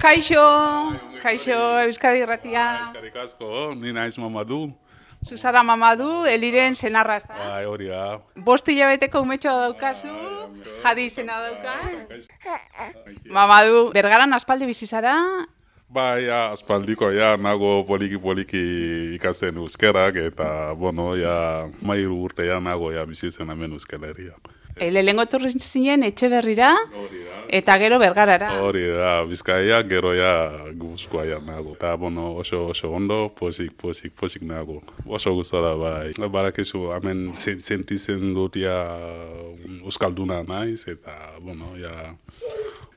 Kaixo, Euskadi Irratia. Eskerrik asko, ni naiz Mamadu. Zuzara Mamadu, Eliren senarra, ezta? Bai, hori da. 5 hilabeteko umetxoa daukazu, Jadi izena dauka. Mamadu, Bergaran aspaldi bizi zara? Bai, aspaldiko, nago poliki ikasten euskerak, eta, mairu urte nago bizitzen hemen euskaleria. Lehengo etorri zinen Etxeberrira, eta gero Bergarara. Hori da, Bizkaia, gero Gipuzkoa nago. Eta, oso ondo, posik nago. Oso gustora, bai. Barakizu, hemen sentitzen dut euskalduna naiz, eta,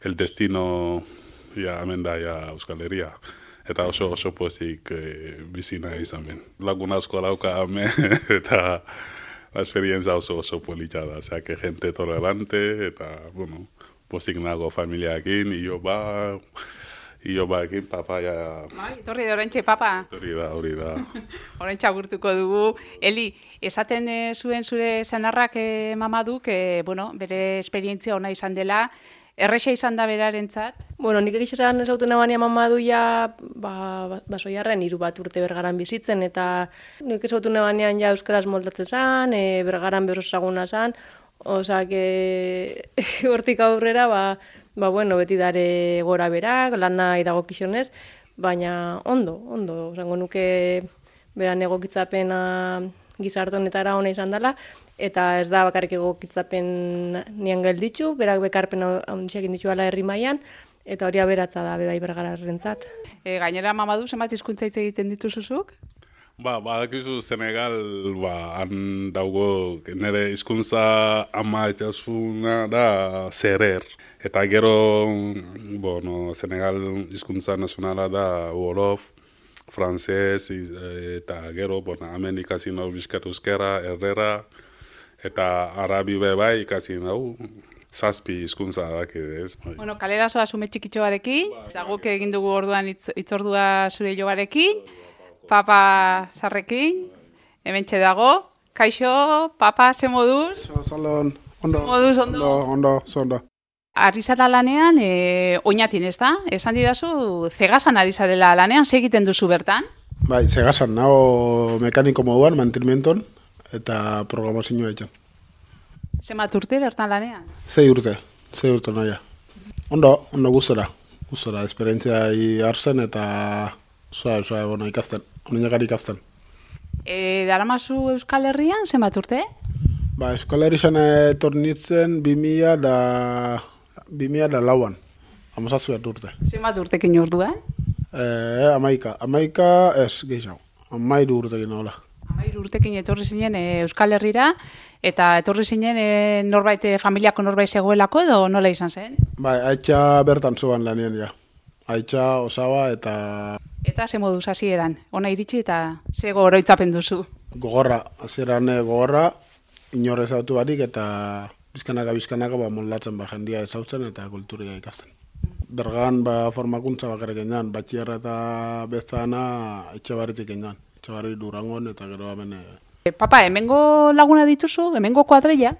el destino, hemen da, Euskal Herria. Eta oso posik bizi naiz hemen. Lagun asko dauka hemen, eta la experiencia oso polita da, o sea, que gente tolerante, eta, posik nago familiakin, iyo ba ekin, papa Etorri da oraintxe, papa. Hori da. Oraintxe agurtuko dugu. Eli, esaten zuen zure senarrak Mamaduk, bere esperientzia ona izan dela, erresa izan da berarentzat? Nik egizan esautu nabania Mamadu basoiarren 3 bat urte Bergaran bizitzen, eta nik esautu nabanean euskaraz moldatzen zan, Bergaran berosaguna zan, oza, hortik aurrera, beti dare gora berak, lana idagokizionez, baina ondo, zango nuke beran egokitzapena gizartonetara ona izan dela, eta ez da bakarrik egokitzapen nian gelditzu, berak bekarpen handiak inditzu ala herri mailan, eta hori aberatza da bai Bergararrentzat. Gainera, Mamadu, zenbat hizkuntza hitz egiten dituzuzuk? Badakizu Senegal, han daugo nire hizkuntza ama itazuna da Serer. Eta gero, Senegal hizkuntza nazionala da Wolof, Frances, eta gero, hemen ikasi nau bizkat euskera, herrera, eta arabi bai ikasi nau, 7 hizkuntza dakidez. Kalera zoa zume txikitxoarekin, eta guk egin dugu orduan itzordua zure joarekin, papa sarrekin, hementxe dago. Kaixo, papa, ze moduz? Salon, ondo. Moduz, ondo? Ondo. Ari zara lanean, oinatin, ez da? Esan didazu, Zegasan ari zarela lanean, ze egiten duzu bertan? Bai, Zegasan, nago mekaniko moduan, mantenimienton, eta programazioa egin. Zenbat urte bertan lanean? 6 urte naia. Ondo gustora, esperientzia hartzen eta ikasten, honenakari ikasten. Daramazu Euskal Herrian, zenbat urte? Euskal Herrian etornitzen 2004an, 17 urte. Zenbat urtekin orduan? 11 ez gehiago, 13 urtekin hola. 13 urtekin etorri zinen Euskal Herrira, eta etorri zinen familiako norbait zegoelako edo nola izan zen? Aitza bertan zuan lanien ja. Aitza, osaba eta... Eta ze moduz hasieran, ona iritsi eta ze oroitzapen duzu? Gogorra, hasieran gogorra, inorre zautu barik eta bizkanaka moldatzen jendia ezautzen eta kulturia ikasten. Bergan formakuntza bakarrik egin, batxierra eta bezana Etxebarritik egin, Etxebarri Durangon eta gero hemen... Papa, hemengo laguna dituzu, hemengo kuadrilla?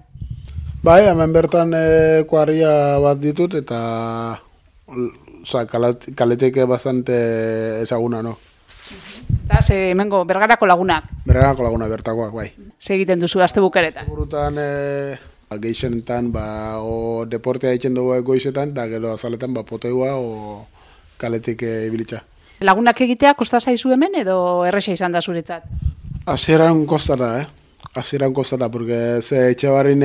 Hemen bertan kuadrilla bat ditut eta kaleteke bastante ezaguna, no? Eta hemengo Bergarako lagunak? Bergarako lagunak bertakoak, bai. Ze egiten duzu azte bukeretan? Burutan geixenetan, deportea egiten dugu goizetan, eta gero azaletan poteua o kaletik ibilitza. Lagunak egitea kosta zaizu hemen edo erresa izan da zuretzat? Hasieran kostata, Hasieran kostata, porque ze Etxebarrin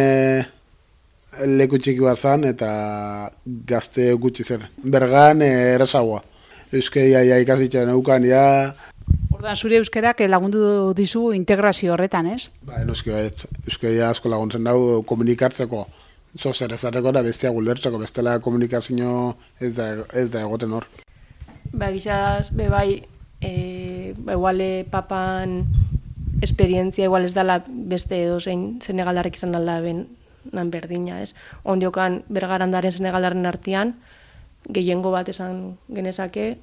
leku txiki bat zan eta gazte gutxi zen. Bergan erasagoa. Euskeia ikasitzen eukan, Orduan zure euskerak lagundu dizu integrazio horretan, ez? Noski baiet. Euskeia asko laguntzen dau komunikatzeko. Zer ezateko da bestia guldertzeko, bestela komunikazio ez da egoten hor. Gizaz, igual papan esperientzia igual ez dala beste edozein senegaldarrek izan alda nan berdina, ez? Ondiokan Bergarandaren senegaldarren artean, gehiengo bat esan genezake,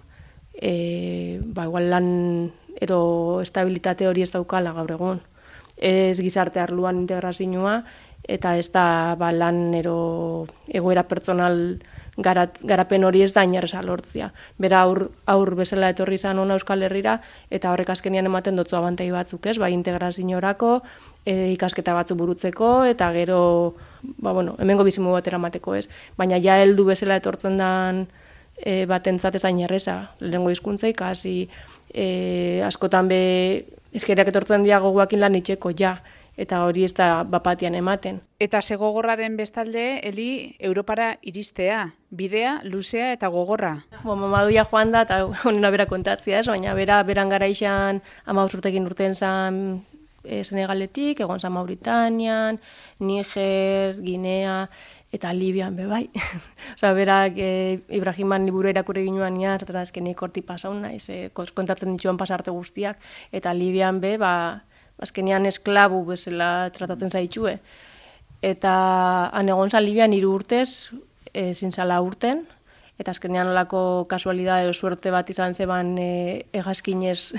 igual lan ero estabilitate hori ez daukala gaur egun. Ez gizarte arluan integrazioa, eta ez da lan ero egoera pertsonal garapen hori ez da inerreza lortzia. Bera aur bezala etorri izan ona Euskal Herrira, eta horrek azkenian ematen dotzu abantai batzuk, ez? Bai, integraziorako, ikasketa batzuk burutzeko, eta gero, hemengo bizimu bat eramateko, ez? Baina ja heldu bezala etortzen dan batentzat ez inerreza, lehengo hizkuntza ikasi, askotan be eskerak etortzen dira gogoakin lan itxeko, ja. Eta hori ez da bapatian ematen. Eta ze gogorra den bestalde, Eli, Europara iristea, bidea, luzea eta gogorra. Mamaduia joan da, eta honena bera kontatzia ez, baina beran gara izan 15 urtekin urten zan Senegaletik, egon zan Mauritanian, Niger, Guinea, eta Libian bai. Osa, berak Ibrahiman liburu irakurri ginoan nian, eta azkenik horti pasaun naiz, kontatzen dituan pasarte guztiak, eta Libian azkenean esklabu bezala tratatzen zaitxue. Eta han egon zan Libian 3 urtez, zintzala urten, eta azkenean olako kasualidad edo suerte bat izan zeban egazkinez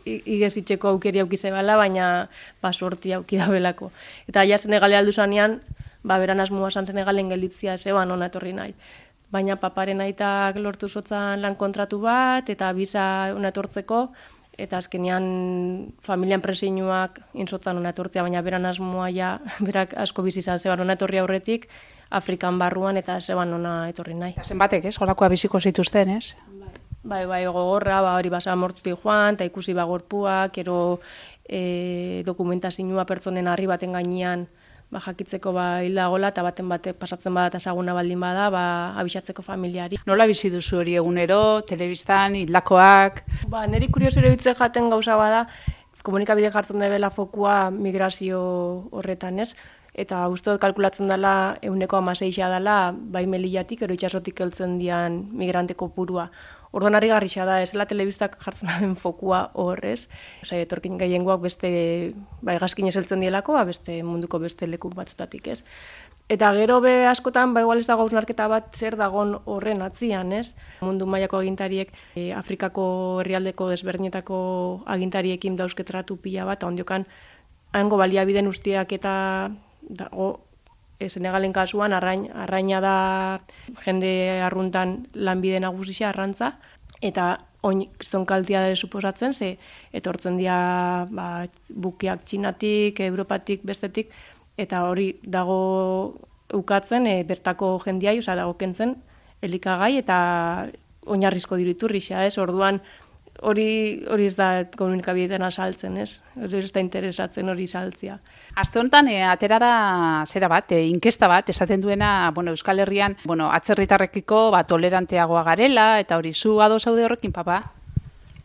igezitxeko aukeri aukize bala, baina suerti auki da belako. Eta ja Senegale aldu zanean, beran asmoa zan Senegalen gelditzia zeban ona etorri nahi. Baina paparen aitak lortu zotzan lan kontratu bat, eta biza ona etortzeko, eta azkenean familian preseinuak insotzan ona etortzea, baina beran asmoa berak asko bizi izan zeban ona etorri aurretik, Afrikan barruan eta zeban ona etorri nahi. Eta zenbatek, ez? Holakoa biziko zituzten, ez? Bai, gogorra, hori basa mortutik joan, eta ikusi gorpuak, ero dokumentazioa pertsonen harri baten gainean jakitzeko hilda gola, eta baten batek pasatzen bada eta ezaguna baldin bada, abisatzeko familiari. Nola bizi duzu hori egunero, telebistan, hildakoak? Neri kuriosero hitze jaten gauza bada, komunikabide jartzen debela fokua migrazio horretan, ez? Eta uste dut kalkulatzen dela 16% dela, bai Melillatik, ero itxasotik heltzen dian migrante kopurua. Orduan harri garrixa da, ez dela telebistak jartzen daben fokua horrez. Osa, etorkin gehiengoak beste, egazkinez heltzen dielako, beste munduko beste leku batzutatik, ez? Eta gero askotan, igual ez dago hausnarketa bat zer dagon horren atzian, ez? Mundu mailako agintariek, Afrikako herrialdeko desberdinetako agintariekin dauzketratu pila bat, ondiokan, hango baliabideen ustiak eta dago, Senegalen kasuan, arraina da jende arruntan lanbide nagusia arrantza, eta oin zonkaltia da suposatzen, ze etortzen dira bukiak Txinatik, Europatik, bestetik, eta hori dago ukatzen bertako jendiai, oza, dago kentzen elikagai, eta oinarrizko diruiturrixa, ez? Orduan, hori ez da komunikabideetan asaltzen, ez? Hori ez da interesatzen hori saltzia. Aste honetan, atera da zera bat, inkesta bat, esaten duena, Euskal Herrian, atzerritarrekiko toleranteagoa garela, eta hori zu ados zaude horrekin, papa?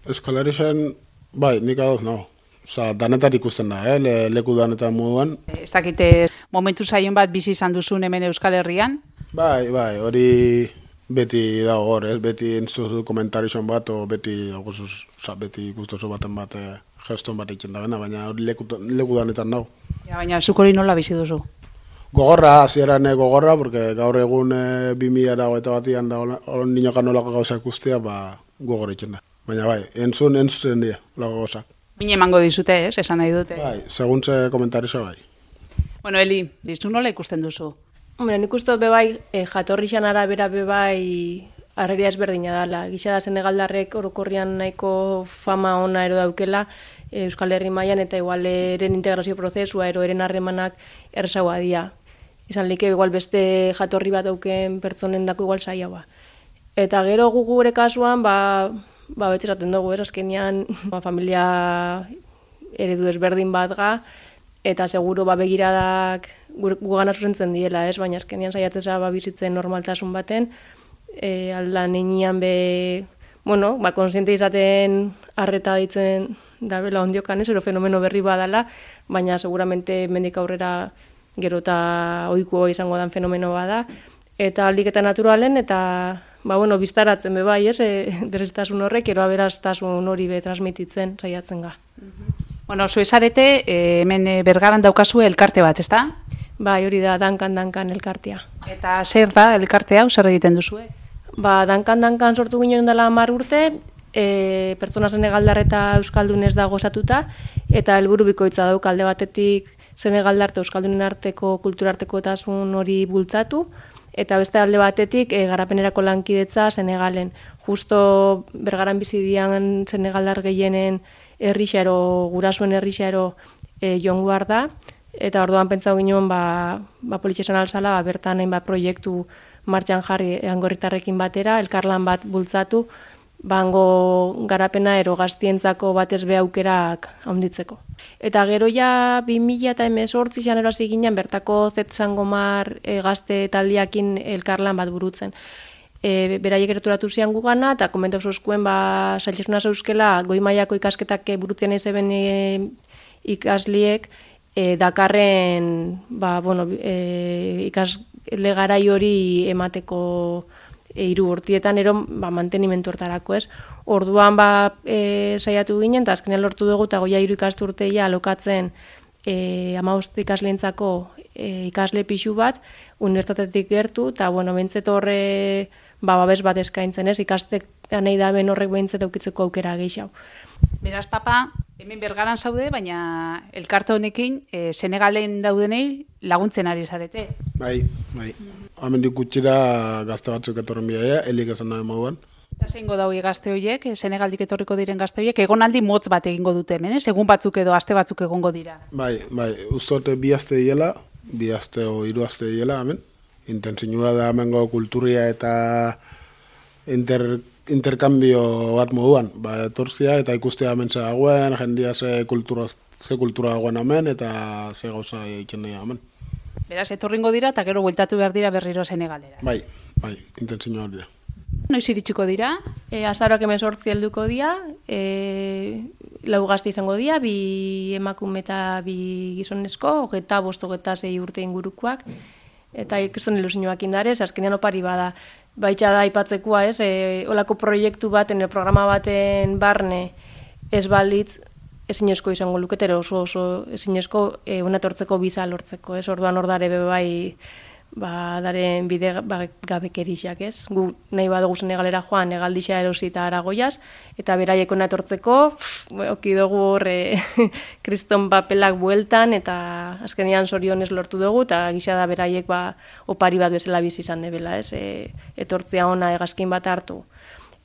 Euskal Herrian, nik ados, no. Osa, danetan ikusten da, leku danetan moduan. Ez dakite momentu zaion bat bizi izan duzun hemen Euskal Herrian? Bai, hori beti dago hor, ez? Beti entzuzu komentarizon bat, o beti ikustozu baten bat, geston bat egiten da bena, baina hori leku danetan dago. Baina zuk hori nola bizi duzu? Gogorra, hasieran gogorra, porque gaur egun 2021an da ninokan nolako gauza ikustea, gogor egiten da. Baina bai, entzun dira, lago gauzak. Bine emango dizute, ez? Esan nahi dute. Bai, seguntze komentarizo bai. Eli, listu nola ikusten duzu? Nik uste dut bebai, jatorri arabera bebai arreria ezberdina dela. Gisa da Senegaldarrek orokorrian nahiko fama ona ero daukela Euskal Herri mailan, eta igual eren integrazio prozesua ero eren harremanak errezagoa dira. Izan like igual beste jatorri bat dauken pertsonen dako igual saiagoa. Eta gero gure kasuan, beti esaten dugu, azkenean familia eredu ezberdin bat ga, eta seguro begiradak gugana zuzentzen diela, ez? Baina azkenean saiatzeza bizitzen normaltasun baten, aldan enean konsiente izaten arreta ditzen dabela ondiokan, ez? Ero fenomeno berri badala, baina seguramente mendik aurrera gero eta ohikoa izango dan fenomeno bada, eta aldiketa naturalen, eta biztaratzen bebai, ez? Dereztasun horrek, ero aberaztasun hori transmititzen saiatzen ga. Zu esarete, hemen Bergaran daukazu elkarte bat, ezta? Bai, hori da, dankan elkartea. Eta zer da elkarte hau, zer egiten duzue? Dankan sortu ginen dela 10 urte, pertsona Senegaldar eta Euskaldun ez da gozatuta, eta helburu bikoitza dauk alde batetik Senegaldar eta Euskaldunen arteko kulturartekotasun hori bultzatu, Eta beste alde batetik, garapenerako lankidetza Senegalen. Justo Bergaran bizi dian Senegaldar gehienen herrixaro, gurasuen herrixaro joango behar da, eta orduan pentsatu ginen politxesan alzala, bertan hainbat proiektu martxan jarri angorritarrekin batera, elkarlan bat bultzatu, bango garapena ero gaztientzako batez be aukerak handitzeko. Eta gero ja 2018 janero hasi ginen bertako Zetzangomar gazte taldiakin elkarlan bat burutzen. Beraiek gerturatu zian gugana, eta komentau zuzkuen sailesuna zeuskela goi mailako ikasketak burutzen ezeben ikasliek dakarren ikasle garai hori emateko 3 urtietan ero mantenimentu hortarako, ez? Orduan saiatu ginen, eta azkenean lortu dugu, eta goia 3 ikasturteia alokatzen 15 ikasleentzako ikasle pixu bat, unibertsitatetik gertu, eta bentzet horre babes bat eskaintzen, ez? Ikastek nahi da ben horrek behintzet aukitzeko aukera gehiago. Beraz, papa, hemen Bergaran zaude, baina elkarte honekin Senegalen daudenei laguntzen ari zarete. Bai. Hemendik gutxira gazte batzuk etorren bidaia, helik esan nahi moduan. Eta zeingo daue gazte horiek, Senegaldik etorriko diren gazte horiek, egonaldi motz bat egingo dute hemen, egun batzuk edo aste batzuk egongo dira. Bai, ustote 2 aste diela, 2 aste o 3 aste diela hemen. Intentzinua da hemengo kulturia eta interkambio bat moduan. Etorzia eta ikustea hemen ze dagoen, jendia ze kultura dagoen hemen, eta ze gauza egiten dira hemen. Beraz, etorringo dira eta gero bueltatu behar dira berriro Senegalera. Bai, intentzinua hori da. Noiz iritsiko dira? Azaroak 18 helduko dira, 4 gazte izango dira, 2 emakume eta 2 gizonezko, 25-26 urte ingurukoak, eta ikriston ilusioak indarez, azkenean opari bada. Baitxa da aipatzekoa, ez, olako proiektu baten, programa baten barne ez balitz, ezinezko izango luketero oso ezinezko unatortzeko biza lortzeko, ez? Orduan hor dare bai daren bide gabekerixak, ez? Gu nahi badugu Senegalera joan, Negaldixa erosi eta Aragoiaz, eta beraiek unatortzeko, oki dugu hor kriston papelak bueltan, eta azkenean zorionez lortu dugu, eta gisa da beraiek opari bat bezala bizi izan debela, ez? Etortzea ona hegazkin bat hartu.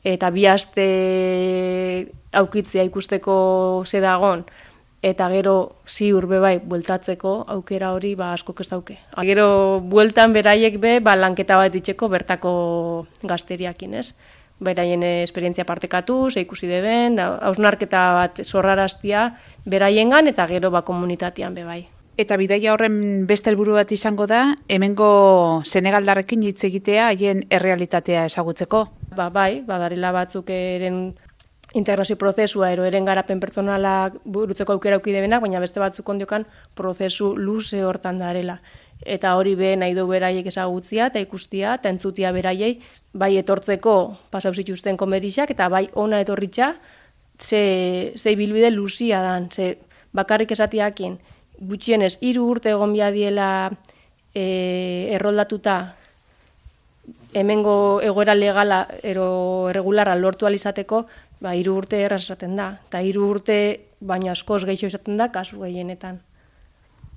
Eta 2 aste aukitzea ikusteko ze dagon, eta gero ziur bai bueltatzeko aukera hori asko ez dauke. Gero bueltan beraiek lanketa bat itxeko bertako gazteriakin, ez? Beraien esperientzia partekatu, ze ikusi deben, hausnarketa bat zorraraztia beraiengan, eta gero komunitatean bai. Eta bidaia horren beste helburu bat izango da, hemengo Senegaldarrekin hitz egitea haien errealitatea ezagutzeko. Bai, badarela batzuk eren integrazio prozesua eren garapen pertsonalak burutzeko aukera auki debenak, baina beste batzuk ondiokan prozesu luze hortan darela. Eta hori nahi du beraiek ezagutzia eta ikustia eta entzutia beraiei, bai etortzeko pasau zituzten komerixak, eta bai ona etorritza ze bilbide luzia dan, ze bakarrik esatiakin, gutxienez 3 urte egon diela erroldatuta hemengo egoera legala ero erregularra lortu alizateko, 3 urte erraz esaten da. Eta 3 urte baina askoz gehiago izaten da, kasu gehienetan.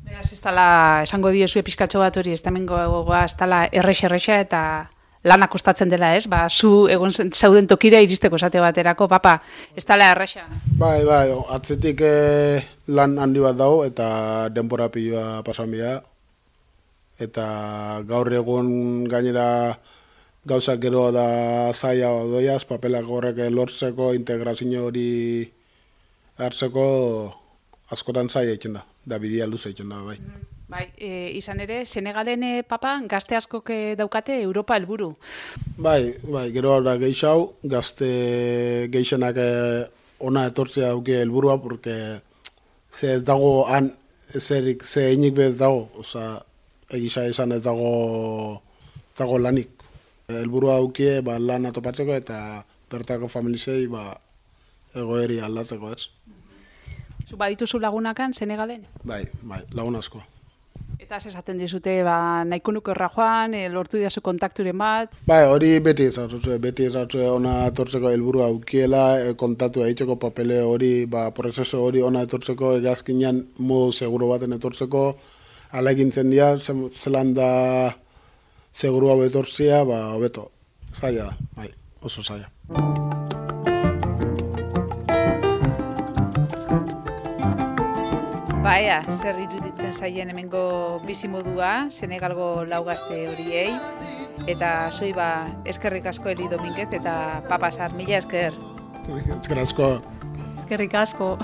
Beraz, ez dala, esango diezu pizkatxo bat hori, ez da hemengo egoa, ez dala errexa eta lana kostatzen dela, ez? Zu egon zauden tokira iristeko esate baterako, papa, ez dala errexa. Bai, atzetik lan handi bat dago, eta denbora pilua pasan bida. Eta gaur egun gainera gauzak gero da zaila doiaz, papelak horrek lortzeko, integrazio hori hartzeko askotan zaila egiten da bidea luze egiten da, bai. Bai, izan ere, Senegalen papa gazte askok daukate Europa helburu. Bai, gero da gehiago, gazte gehienak ona etortzea dauke helburua, porque ze ez dago han ezerik, ze einik bez dago, oza, egisa izan ez dago lanik. Helburua daukie lan atopatzeko eta bertako familizei egoeri aldatzeko, ez? Zu badituzu lagunakan Senegalen? Bai, lagun asko. Eta esaten dizute, nahiko nuke horra joan, lortu diazu kontakturen bat? Bai, hori beti ezatzue ona etortzeko helburua aukiela, kontatu egiteko papele hori, prozeso hori ona etortzeko, egazkinean modu seguro baten etortzeko, ala egintzen dira, zelan da seguru hau etortzia, hobeto, zaila da, bai, oso zaila. Baia, zer iruditzen zaien hemengo bizimodua, Senegalgo lau gazte horiei, eta zui eskerrik asko Eli Dominguez eta Papa Sar, mila esker. Eskerrik asko. Eskerrik asko.